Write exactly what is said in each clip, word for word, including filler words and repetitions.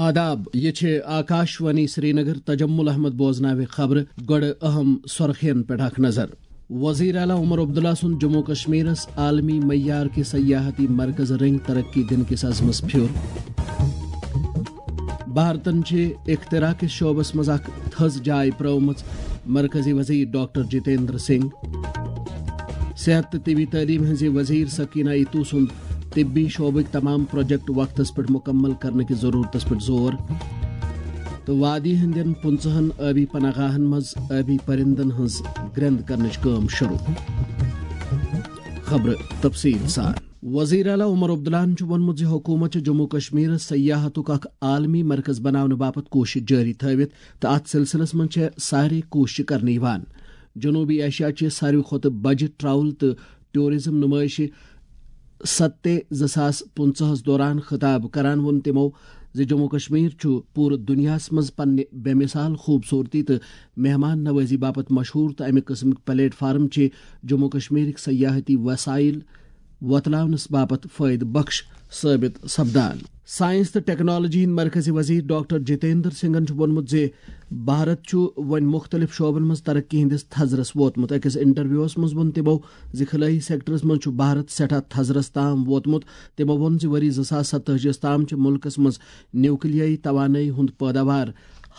آداب، یہِ چھِ آکاشوانی سرینگر۔ تجمل احمد بوزناوِ خبرٕ۔ گۄڈٕ اہم سرخین پٮ۪ٹھ اکھ نظر۔ وزیر اعلیٰ عمر عبداللہ سُنٛد جموں کشمیرس عالمی معیار کہِ سیاحتی مرکز رنگ ترقی دِنہٕ کِس عزمس پھیُر۔ بھارتن چھِ اختراع کِس شعبس منٛز اکھ تھٔز جاے پرٲومٕژ، مرکزی وزیر ڈاکٹر جتیندر سنگھ۔ صحت تہٕ طبی تعلیٖم ہٕنٛزِ وزیر سکینہ ایتو سُنٛد طبی شعبٕکۍ تمام پروجیکٹ وقتس پٮ۪ٹھ مکمل کرنہٕ کِس ضرورتس پٮ۪ٹھ زور۔ تہٕ وادی ہٕنٛدٮ۪ن پٕنٛژٕہن ٲبی پناہ گاہن منٛز ٲبی پرندن ہٕنٛز گرٛنٛد کرنٕچ کٲم شروع۔ خبرٕ تفصیٖل سان۔ وزیر اعلیٰ عمر عبداللہن چھُ ووٚنمُت زِ حکوٗمت چھِ جموں کشمیرس سیاحتُک اکھ عالمی مرکز بناونہٕ باپتھ کوٗشش جٲری تھٲوِتھ تہٕ اتھ سلسلس منٛز چھےٚ سارے کوٗششہٕ کرنہٕ یِوان۔ جنوبی ایشیا چہِ ساروی کھۄتہٕ بجہِ ٹراول تہٕ ٹورازم نمٲیشہِ ستے زٕ ساس پٕنٛژٕہس دوران خطاب کران ووٚن تِمو زِ جموں کشمیر چھُ پوٗرٕ دُنیاہس منٛز پننہِ بے مثال خوٗبصوٗرتی تہٕ مہمان نوازی باپتھ مشہوٗر تہٕ امہِ قٕسمٕکۍ پلیٹ فارم چھِ جموں کشمیرٕکۍ سیاحتی وسائل وۄتلاونس باپتھ فٲیدٕ بخش ثٲبت سپدان۔ سائنس تہٕ ٹیکنالوجی ہٕنٛدۍ مرکزی وزیر ڈاکٹر جتیندر سنگھن چھُ ووٚنمُت زِ بھارت چھُ وۄنۍ مُختٔلِف شعبن منٛز ترقی ہٕنٛدِس تھزرس ووتمُت۔ أکِس انٹرویوَس منٛز ووٚن تِمو زِ خلٲیی سیکٹرس منٛز چھُ بھارت سٮ۪ٹھاہ تھزرس تام ووتمُت۔ تِمو ووٚن زِ ؤری زٕ ساس ستٲجی یَس تام چھِ مُلکس منٛز نیوکلیائی توانٲیی ہُنٛد پٲداوار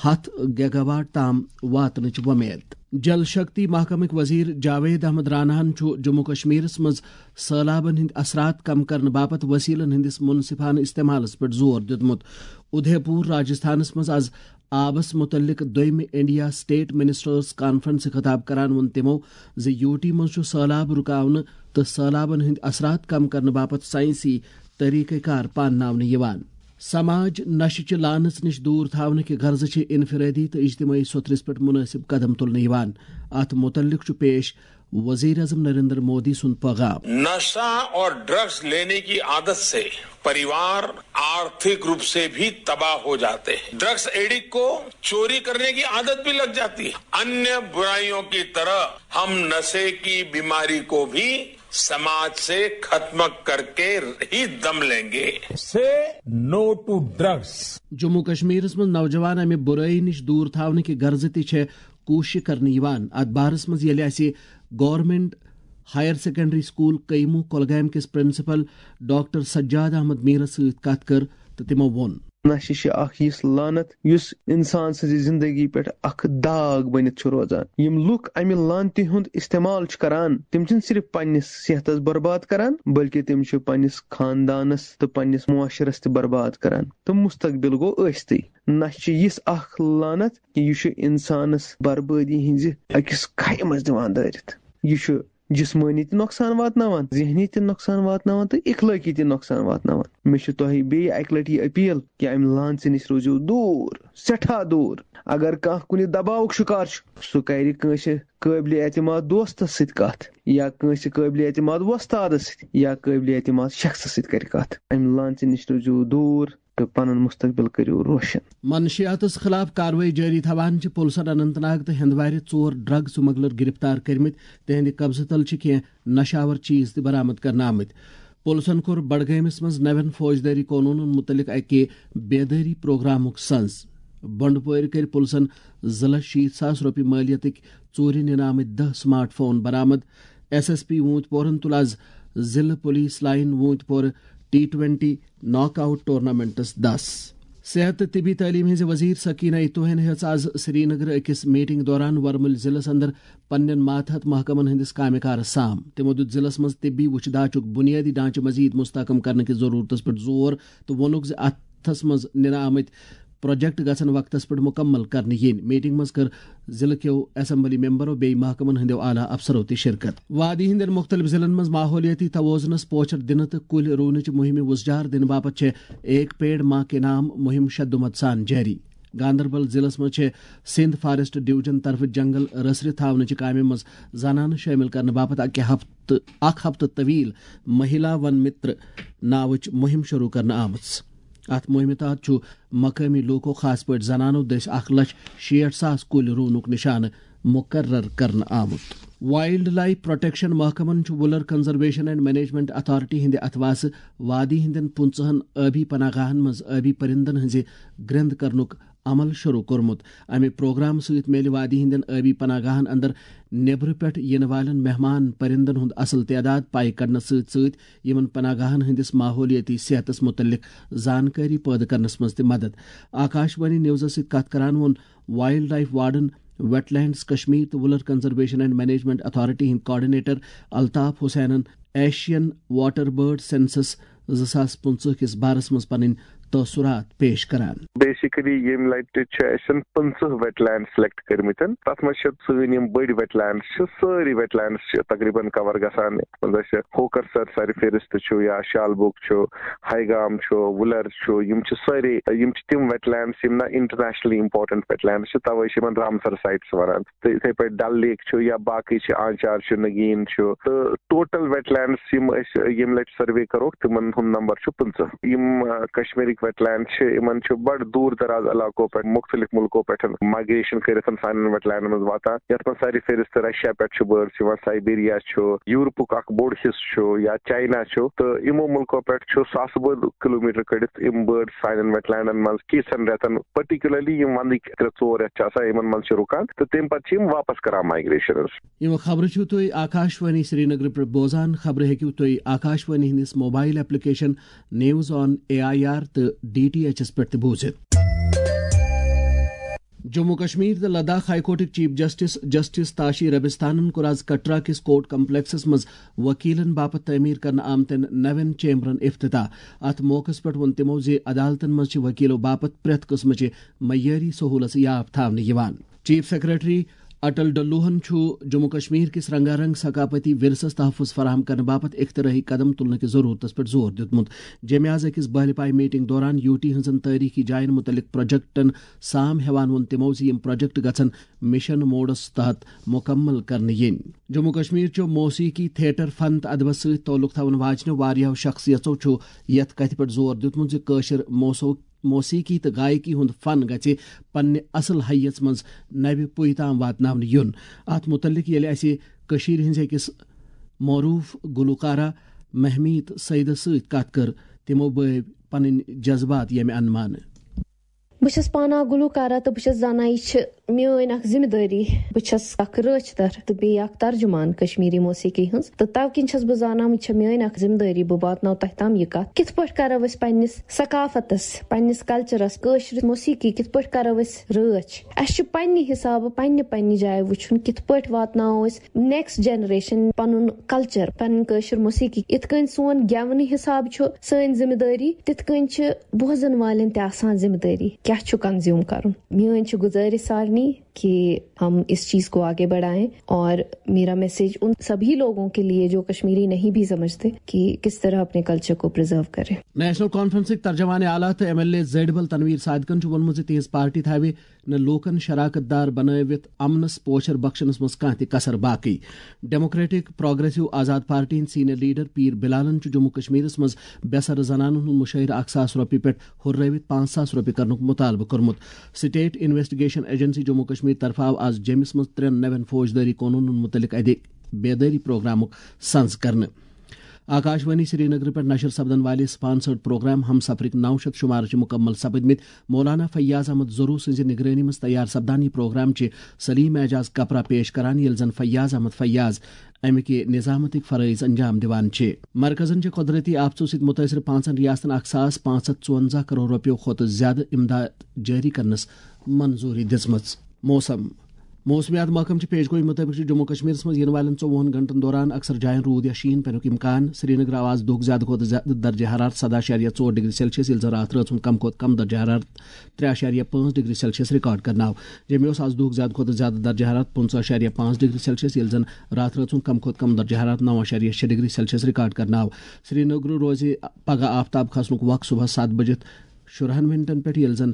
ہَتھ گیگاواٹ تام واتنٕچ وۄمید۔ جل شکتی محکمٕکۍ وزیر جاوید احمد راناہن چھُ جموں کشمیرس منٛز سٔہلابن ہٕنٛدۍ اثرات کم کرنہٕ باپتھ وسیلن ہٕنٛدِس منصفانہٕ استعمالس پٮ۪ٹھ زور دیُتمُت۔ اُدے پوٗر، راجستھانس منٛز از آبس مُتعلق دوٚیمہِ انڈیا سٹیٹ منسٹرز کانفرنسہِ خطاب کران ووٚن تِمو زِ یوٗ ٹی منٛز چھُ سٔہلاب رُکاونہٕ تہٕ سٔہلابن ہٕنٛدۍ اثرات کم کرنہٕ باپتھ ساینسی طریقہٕ کار پانناونہٕ یِوان۔ سماج نشہٕ چہِ لعنژ نِش دوٗر تھاونہٕ کہِ غرضہٕ چھِ انفرادی تہٕ اجتماعی سوٚتھرِس پٮ۪ٹھ مناسب قدم تُلنہٕ یِوان۔ اتھ مُتعلق چھُ پیش وزیر اعظم نریندر مودی سُنٛد پیغام۔ नशा और ड्रग्स लेने की आदत से परिवार आर्थिक रूप से भी तबाह हो जाते हैं। ड्रग्स एडिक्ट को चोरी करने की आदत भी लग जाती है। अन्य बुराइयों की तरह हम नशे की बीमारी को भी समाज से खत्म करके ही दम लेंगे। Say no to drugs. Jammu کشمیرس منٛز نوجوان امہِ بُرٲیی نِش دوٗر تھاونہٕ کہِ غرضہٕ تہِ چھےٚ کوٗشش کرنہٕ یِوان۔ اتھ بارس منٛز ییٚلہِ اسہِ گورنمنٹ ہائر سیکنڈری سکول قیمو کۄلگامہِ کِس پرنسپل ڈاکٹر سجاد احمد میرس سۭتۍ کتھ کٔر تہٕ تِمو ووٚن۔ نشہِ چھِ اکھ یِژھ لعنت یُس انسان سٕنٛزِ زندگی پٮ۪ٹھ اکھ داغ بٔنِتھ چھُ روزان۔ یِم لُکھ امہِ لعنتہِ ہُنٛد استعمال چھِ کران، تِم چھِنہٕ صرف پننِس صحتس برباد کران، بلکہِ تِم چھِ پننِس خاندانس تہٕ پننِس معاشرس تہِ برباد کران تہٕ مستقبل گوٚو ٲستٕے۔ نشہِ چھِ یِژھ اکھ لعنت کہِ یہِ چھُ انسانس بربٲدی ہٕنٛزِ أکِس کھایہِ منٛز دِوان دٲرِتھ۔ یہِ چھُ جسمٲنی تہِ نۄقصان واتناوان، ذہنی تہِ نۄقصان واتناوان تہٕ اخلٲقی تہِ نۄقصان واتناوان۔ مےٚ چھِ تۄہہِ بیٚیہِ اکہِ لٹہِ یہِ اپیل کہِ امہِ لانژِ نِش روٗزِو دوٗر، سٮ۪ٹھاہ دوٗر۔ اگر کانٛہہ کُنہِ دباوُک شکار چھُ، سُہ کرِ کٲنٛسہِ قٲبلِ اعتماد دوستس سۭتۍ کتھ یا کٲنٛسہِ قٲبلِ اعتماد وۄستادس سۭتۍ یا قٲبلِ اعتماد شخصس سۭتۍ کرِ کتھ۔ امہِ لانژِ نِش روٗزِو دوٗر تہٕ پنُن مستقبل کٔرِو روشن۔ منشیاتس خلاف کاروٲیی جٲری تھاوان چھِ پُلسن اننت ناگ تہٕ ہندوارِ ژور ڈرگ سمگلر گرفتار کٔرمٕتۍ۔ تِہنٛدِ قبضہٕ تل چھِ کینٛہہ نشاور چیز تہِ برآمد کرنہٕ آمٕتۍ۔ پُلسن کوٚر بڈگٲمِس منٛز نوٮ۪ن فوجدٲری قونوٗنن مُتعلق اکہِ بیدٲری پروگرامُک سنز۔ بنڈپورِ کٔرۍ پُلسن زٕ لچھ شیٖتھ ساس رۄپیہِ مٲلیتٕکۍ ژوٗرِ نِنہٕ آمٕتۍ دَہ سمارٹ فون برآمد۔ ایس ایس پی ووٗنتۍ پورن تُل از ضلعہٕ پولیس لائن ووٗنتۍ پورٕ T twenty knock out tournaments دس۔ صحت تہٕ طبی تعلیٖم ہٕنٛزِ وزیر سکینہ ایتوہن ہیٚژ از سرینگرٕ أکِس میٹنگ دوران ورمُلۍ ضلعس اندر پننٮ۪ن ماتحت محکمن ہٕنٛدِس کامہِ کارس سام۔ تِمو دیُت ضلعس منٛز طبی وُچھ داچُک بُنیٲدی ڈھانچہٕ مزید مستحکم کرنہٕ کِس ضروٗرتس پٮ۪ٹھ زور تہٕ ووٚنُکھ زِ اتھس منٛز نِنہٕ آمٕتۍ پروجیکٹ گژھن وقتس پٮ۪ٹھ مکمل کرنہٕ یِنۍ۔ میٹنگ منٛز کٔر ضلعہٕ کیو اسمبلی ممبرو بیٚیہِ محکمن ہٕنٛدیو اعلیٰ افسرو تہِ شرکت۔ وادی ہٕنٛدٮ۪ن مُختٔلِف ضلعن منٛز ماحولیٲتی توازنس پوچھر دِنہٕ تہٕ کُلۍ رُونٕچ مُہِمہِ وُژھجار دِنہٕ باپتھ چھےٚ ایک پیڑ ماں کے نام مُہِم شدومت سان جٲری۔ گاندربل ضلعس منٛز چھےٚ سندھ فارسٹ ڈویژن طرفہٕ جنگل رژھرِ تھاونٕچہِ کامہِ منٛز زنانہٕ شٲمِل کرنہٕ باپتھ اکہِ ہفتہٕ، اکھ ہفتہٕ طویل مہیلا ون متر ناوٕچ مُہِم شروع کرنہٕ آمٕژ۔ اتھ مُہِمہِ تحت چھُ مقٲمی لوٗکو، خاص پٲٹھۍ زنانو دٔسۍ اکھ لچھ شیٹھ ساس کُلۍ رُونُک نشانہٕ مُقرر کرنہٕ آمُت۔ وائلڈ لائف پروٹیکشن محکمن چھُ Wular conservation and management authority ہٕنٛدِ اتھواسہٕ وادی ہٕنٛدٮ۪ن پٕنٛژٕہن ٲبی پناہ گاہن منٛز ٲبی پرندن ہٕنٛزِ گرند کرنُک عمل شروع کوٚرمُت۔ امہِ پروگرام سۭتۍ میلہِ وادی ہٕنٛدٮ۪ن ٲبی پناہ گاہن اندر نیبرٕ پٮ۪ٹھ یِنہٕ والٮ۪ن مہمان پرندن ہُنٛد اصل تعداد پاے کڑنس سۭتۍ سۭتۍ یِمن پناہ گاہن ہٕنٛدِس ماحولیٲتی صحتس مُتعلق زانکٲری پٲدٕ کرنس منٛز تہِ مدد۔ آکاش وانی نیوزس سۭتۍ کتھ کران ووٚن wildlife warden, wetlands Kashmir تہٕ Wular conservation and management authority ہٕنٛدۍ کوآرڈینیٹر الطاف حسینن ایشین واٹر برڈ سینسس زٕ ساس پٕنٛژٕہ کِس بارس منٛز پنٕنۍ تٲثرات پیش کران۔ بیسیکلی ییٚمہِ لٹہِ چھِ اَسہِ پٕنٛژٕہ ویٹ لینڈ سلیکٹ کٔرمٕتۍ۔ تَتھ منٛز چھِ سٲنۍ یِم بٔڑۍ ویٹ لینڈ چھِ، سٲری ویٹ لینڈ چھِ تقریباً کور گژھان۔ یَتھ منٛز اَسہِ ہوکر سر سر فہرست چھُ یا شالبوگ چھُ، ہاے گام چھُ، وُلر چھُ، یِم چھِ سٲری، یِم چھِ تِم ویٹ لینڈ یِم نہ انٹرنیشنلی امپورٹنٹ ویٹ لینڈ چھِ، توے چھِ یِمن رامسر سائٹس ونان۔ تہٕ یِتھے پٲٹھۍ ڈل لیک چھُ یا باقٕے چھِ، آنچار چھُ، نگین چھُ، تہٕ ٹوٹل ویٹ لینڈس یِم أسۍ ییٚمہِ لٹہِ سروے کروکھ، تِمن ہُنٛد نمبر چھُ پٕنٛژٕہ۔ یِم، آ، کشمیرٕکۍ ویٹ لینڈ چھِ، یِمن چھُ بڑٕ دوٗر دراز علاقو پٮ۪ٹھ، مُختٔلِف مُلکو پٮ۪ٹھ مائگریشن کٔرِتھ سانٮ۪ن ویٹ لینڈن منٛز واتان، یتھ منٛز سارِ فہرست رشیا پٮ۪ٹھ چھِ بٲرڈز یِوان، سائبیریا چھُ، یورپُک اکھ بوٚڑ حصہٕ چھُ یا چائنا چھُ، تہٕ یِمو مُلکو پٮ۪ٹھ چھُ ساسہٕ بٔدۍ کلوٗمیٹر کٔڑِتھ یِم بٲرڈ سانٮ۪ن ویٹ لینڈن منٛز کینٛژن رٮ۪تن، پرٹیکولرلی یِم ونٛدٕکۍ ترٛےٚ ژور رٮ۪تھ چھِ آسان، یِمن منٛز چھِ رُکان تہٕ تَمہِ پتہٕ چھِ یِم واپس کران مائگریشنس۔ یِم خبرٕ چھِو تُہۍ آکاش وانی سرینگر پٮ۪ٹھ بوزان۔ خبرٕ ہیٚکِو تُہۍ آکاش وانی ہٕنٛدِس mobile application news on A I R تہٕ ڈی ٹی ایچ ایس پٮ۪ٹھ تہِ بوٗزِتھ۔ جموں کشمیر تہٕ لداخ ہائی کورٹٕکۍ چیف جسٹس جسٹس تاشی ربستانن کوٚر آز کٹرا کِس کورٹ کمپلیکسس منٛز وکیلن باپتھ تعمیٖر کرنہٕ آمتٮ۪ن نوٮ۪ن چیمبرن افتتاح۔ اتھ موقعس پٮ۪ٹھ ووٚن تِمو زِ عدالتن منٛز چھِ وکیلو باپتھ پرٛٮ۪تھ قٕسمٕچہِ معیٲری سہوٗلژٕ یاب تھاونہٕ یِوان۔ چیف سیکرٹری اٹل ڈلوہن چھُ جموں کشمیر کِس رنگا رنگ ثقافتی ورثس تحفظ فراہم کرنہٕ باپتھ اختراعی قدم تُلنہٕ کِس ضروٗرتس پٮ۪ٹھ زور دیُتمُت۔ جیٚمہِ آز أکِس بحلہِ پایہِ میٹنگ دوران یوٗ ٹی ہٕنٛزن تٲریٖخی جاین مُتعلق پروجیکٹن سام ہٮ۪وان ووٚن تِمو زِ یِم پروجیکٹ گژھن مشن موڈس تحت مُکمل کرنہٕ یِنۍ۔ جموں کشمیر چہِ موسیقی، تھیٹر، فن تہٕ ادبس سۭتۍ تعلق تھاون واجنہِ واریاہو شخصیژو چھُ یتھ کتھِ پٮ۪ٹھ زور دیُتمُت زِ کٲشِر موسو-، موسیقی تہٕ گایکی ہُنٛد فن گژھِ پننہِ اصل حیژ منٛز نوِ پُیہِ تام واتناونہٕ یُن۔ اتھ مُتعلق ییٚلہِ اسہِ کٔشیٖرِ ہٕنٛزِ أکِس معروٗف گلوکارہ مہمیٖت سعیدس سۭتۍ کتھ کٔر، تِمو بٲوۍ پنٕنۍ جذبات ییٚمہِ انمانہٕ۔ بہٕ چھَس پانہٕ اکھ گلوکارہ تہٕ بہٕ چھَس زانان یہِ چھِ میٲنۍ اکھ ذمہٕ دٲری۔ بہٕ چھَس اکھ رٲچھ در تہٕ بیٚیہِ اکھ ترجمان کشمیری موسیقی ہٕنٛز، تہٕ تَوٕ کِنۍ چھَس بہٕ زانان یہِ چھےٚ میٲنۍ اکھ ذمہٕ دٲری، بہٕ واتناو تۄہہِ تام یہِ کتھ۔ کِتھ پٲٹھۍ کرو أسۍ پننِس ثقافتس، پننِس کلچرس، کٲشرِ موسیقی کِتھ پٲٹھۍ کرو أسۍ رٲچھ؟ اسہِ چھُ پننہِ حسابہٕ پننہِ پننہِ جایہِ وٕچھُن کِتھ پٲٹھۍ واتناوو أسۍ نیکسٹ جنریشن پنُن کلچر، پنٕنۍ کٲشِر موسیقی۔ یِتھ کٔنۍ سون گٮ۪ونہٕ حساب چھُ سٲنۍ ذمہٕ دٲری، تِتھ کٔنۍ چھِ بوزن والٮ۪ن تہِ آسان ذمہٕ دٲری کیٛاہ چھُ کنزیوم کرُن۔ میٲنۍ چھِ گُزٲرِش سارنٕے کہ ہم اس چیز کو آگے بڑھائیں، اور میرا میسج ان سبھی لوگوں کے لیے جو کشمیری نہیں بھی سمجھتے کہ کس طرح اپنے کلچر کو پرزرو کریں۔ نیشنل کانفرنسٕکۍ ترجمان اعلیٰ تہٕ ایم ایل اے زیڈبل تنویر صادقن چھُ ووٚنمُت زِ تِہنٛز پارٹی تھاوِ نہٕ لوٗکن شراکت دار بنٲوِتھ امنس پوچھر بخشنس منٛز کانٛہہ تہِ کسر باقی۔ ڈیموکریٹک پروگریسو آزاد پارٹی ہٕنٛدۍ سینئر لیڈر پیٖر بلالن چھُ جموں کشمیرس منٛز بے سر زنانن ہُنٛد مُشاہرٕ اکھ ساس رۄپیہِ پٮ۪ٹھ ہُررٲوِتھ پانٛژھ ساس رۄپیہِ کرنُک مُطالبہٕ کوٚرمُت۔ State investigation agency Jammu Kashmir طرفہٕ آو آز جیٚمِس منٛز ترٛٮ۪ن نوٮ۪ن فوجدٲری قونوٗنن مُتعلق اَدِ بیدٲری پروگرامُک سنز کرنہٕ۔ آکاشوانی سرینگر پٮ۪ٹھ نشر سپدن والہِ سپانسرڈ پروگرام ہم سفرٕکۍ نو شیٚتھ شمارٕ چھِ مُکمل سپدمٕتۍ۔ مولانا فیاض احمد زرو سٕنٛزِ نگرٲنی منٛز تیار سپدان یہِ پروگرام چھِ سلیم اعجاز کپرا پیش کران، ییٚلہِ زن فیاض احمد فیاض امہِ کہِ نظامتٕکۍ فرٲیض انجام دِوان چھِ۔ مرکزن چھِ قۄدرٔتی آفتو سۭتۍ مُتٲثر پانٛژن ریاستن اکھ ساس پانٛژھ ہتھ ژُونزہ کرور رۄپیو کھۄتہٕ زیادٕ امداد جٲری کرنس منظوٗری دِژمٕژ۔ موسم۔ موسمیات محکمہٕ چہِ پیش گویی مُطٲبِق چھُ جموں کشمیرس منٛز یِنہٕ والٮ۪ن ژوٚوُہن گھنٹن دوران اکثر جاین روٗد یا شیٖن پینُک امکان۔ سرینگرٕ آو آز دۄہُک زیادٕ کھۄتہٕ زیادٕ درجہ حرارت سداہ اعشاریہ ژور ڈگری سیلسیس، ییٚلہِ زن راتھ رٲژ ہُنٛد کم کھۄتہٕ کم درجہ حرارت ترٛےٚ اعشاریہ پانٛژھ ڈگری سیلسیس ریکارڈ کرنہٕ آو۔ جیٚمہِ اوس آز دۄہُک زیادٕ کھۄتہٕ زیادٕ درجہ حرارت پٕنٛژٕہ اعشاریہ پانٛژھ ڈگری سیلسیس، ییٚلہِ زن راتھ رٲژ ہُنٛد کم کھۄتہٕ کم درجہ حرارت نو اعشاریہ شےٚ ڈگری سیلسیس ریکارڈ کرنہٕ آو۔ سرینگرٕ روزِ پگہہ آفتاب کھسنُک وق صبحس ستھ بجہِ شُرہن منٹن پٮ۪ٹھ، ییٚلہِ زن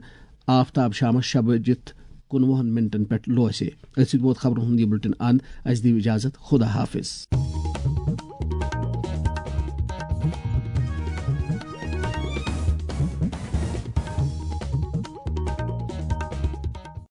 آفتاب شامس شےٚ بجِتھ کُنوُہن منٹن پٮ۪ٹھ لوسہِ۔ أتھۍ سۭتۍ ووت خبرن ہُنٛد یہِ بُلٹن اند۔ اسہِ دِیِو اجازت، خدا حافظ۔